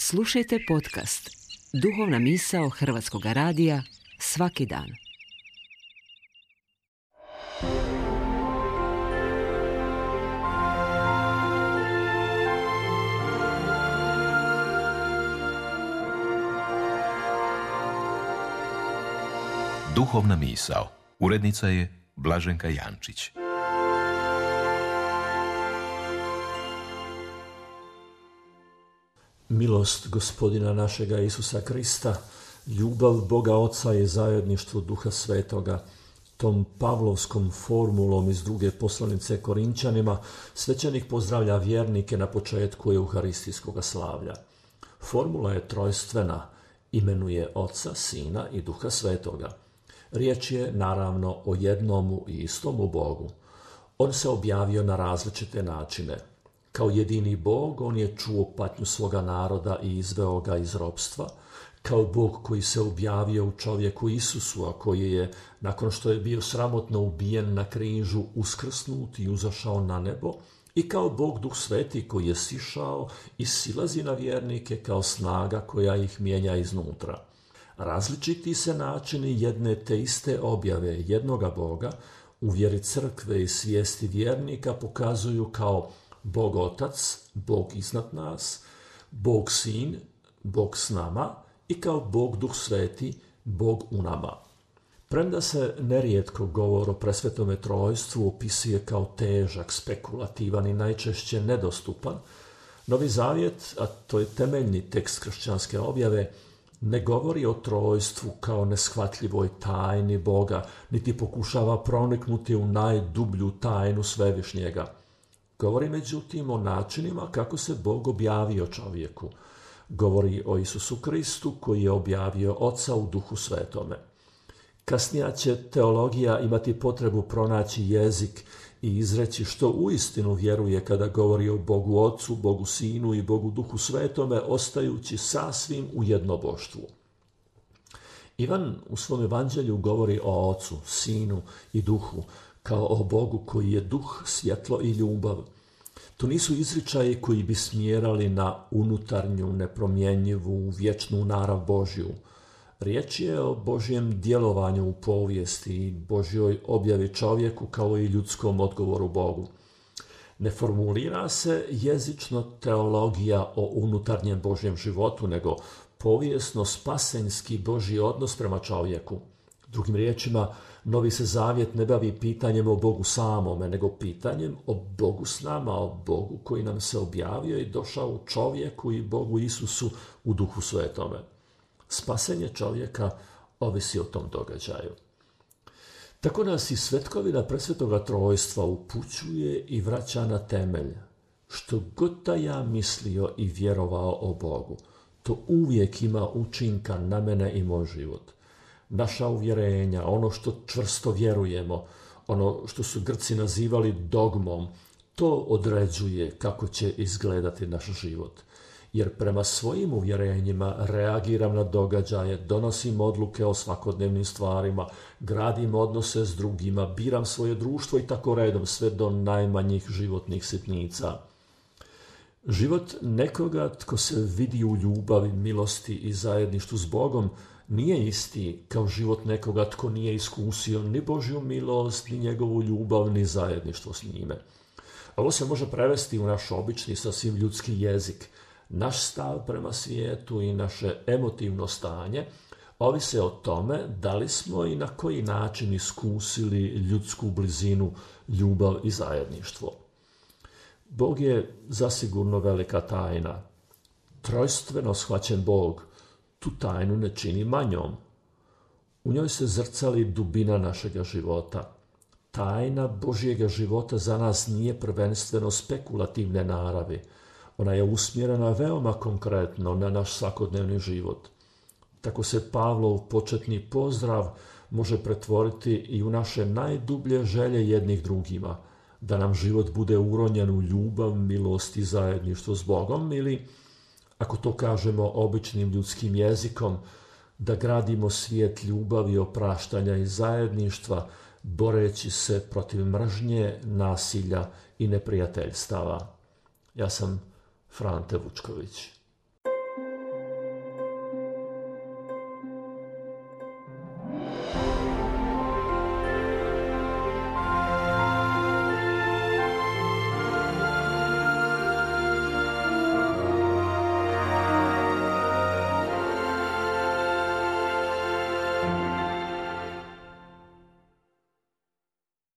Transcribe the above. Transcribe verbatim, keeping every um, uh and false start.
Slušajte podcast Duhovna misao Hrvatskog radija svaki dan. Duhovna misao. Urednica je Blaženka Jančić. Milost Gospodina našega Isusa Krista, ljubav Boga Oca i zajedništvo Duha Svetoga, tom pavlovskom formulom iz druge poslanice Korinčanima, svećenik pozdravlja vjernike na početku euharistijskog slavlja. Formula je trojstvena, imenuje Oca, Sina i Duha Svetoga. Riječ je naravno o jednomu i istomu Bogu. On se objavio na različite načine. Kao jedini Bog, on je čuo patnju svoga naroda i izveo ga iz ropstva. Kao Bog koji se objavio u čovjeku Isusu, a koji je, nakon što je bio sramotno ubijen na križu, uskrsnut i uzašao na nebo. I kao Bog Duh Sveti koji je sišao i silazi na vjernike kao snaga koja ih mijenja iznutra. Različiti se načini jedne te iste objave jednoga Boga u vjeri crkve i svijesti vjernika pokazuju kao Bog Otac, Bog iznad nas, Bog Sin, Bog s nama i kao Bog Duh Sveti, Bog u nama. Premda se nerijetko govor o presvetome trojstvu opisuje kao težak, spekulativan i najčešće nedostupan, Novi Zavjet, a to je temeljni tekst kršćanske objave, ne govori o trojstvu kao neshvatljivoj tajni Boga, niti pokušava proniknuti u najdublju tajnu Svevišnjega. Govori međutim o načinima kako se Bog objavio čovjeku. Govori o Isusu Kristu koji je objavio Oca u Duhu Svetome. Kasnija će teologija imati potrebu pronaći jezik i izreći što uistinu vjeruje kada govori o Bogu Ocu, Bogu Sinu i Bogu Duhu Svetome, ostajući sasvim u jednoboštvu. Ivan u svom evanđelju govori o Ocu, Sinu i Duhu, kao o Bogu koji je duh, svjetlo i ljubav. To nisu izričaji koji bi smjerali na unutarnju, nepromjenjivu, vječnu narav Božju. Riječ je o Božjem djelovanju u povijesti i Božjoj objavi čovjeku kao i ljudskom odgovoru Bogu. Ne formulira se jezično teologija o unutarnjem Božjem životu, nego povijesno-spasenjski Božji odnos prema čovjeku. Drugim riječima, Novi se Zavjet ne bavi pitanjem o Bogu samome, nego pitanjem o Bogu s nama, o Bogu koji nam se objavio i došao u čovjeku i Bogu Isusu u Duhu Svetome. Spasenje čovjeka ovisi o tom događaju. Tako nas i svetkovina presvetoga trojstva upućuje i vraća na temelj. Što god da ja mislio i vjerovao o Bogu, to uvijek ima učinka na mene i moj život. Naša uvjerenja, ono što čvrsto vjerujemo, ono što su Grci nazivali dogmom, to određuje kako će izgledati naš život. Jer prema svojim uvjerenjima reagiram na događaje, donosim odluke o svakodnevnim stvarima, gradim odnose s drugima, biram svoje društvo i tako redom, sve do najmanjih životnih sitnica. Život nekoga tko se vidi u ljubavi, milosti i zajedništvu s Bogom nije isti kao život nekoga tko nije iskusio ni Božju milost, ni njegovu ljubav, ni zajedništvo s njime. Ovo se može prevesti u naš obični, sasvim ljudski jezik. Naš stav prema svijetu i naše emotivno stanje ovise o tome da li smo i na koji način iskusili ljudsku blizinu, ljubav i zajedništvo. Bog je zasigurno velika tajna. Trojstveno shvaćen Bog tu tajnu ne čini manjom. U njoj se zrcali dubina našega života. Tajna Božjega života za nas nije prvenstveno spekulativne naravi. Ona je usmjerena veoma konkretno na naš svakodnevni život. Tako se Pavlov početni pozdrav može pretvoriti i u naše najdublje želje jednih drugima, da nam život bude uronjen u ljubav, milost i zajedništvo s Bogom, ili, ako to kažemo običnim ljudskim jezikom, da gradimo svijet ljubavi, opraštanja i zajedništva, boreći se protiv mržnje, nasilja i neprijateljstava. Ja sam Frante Vučković.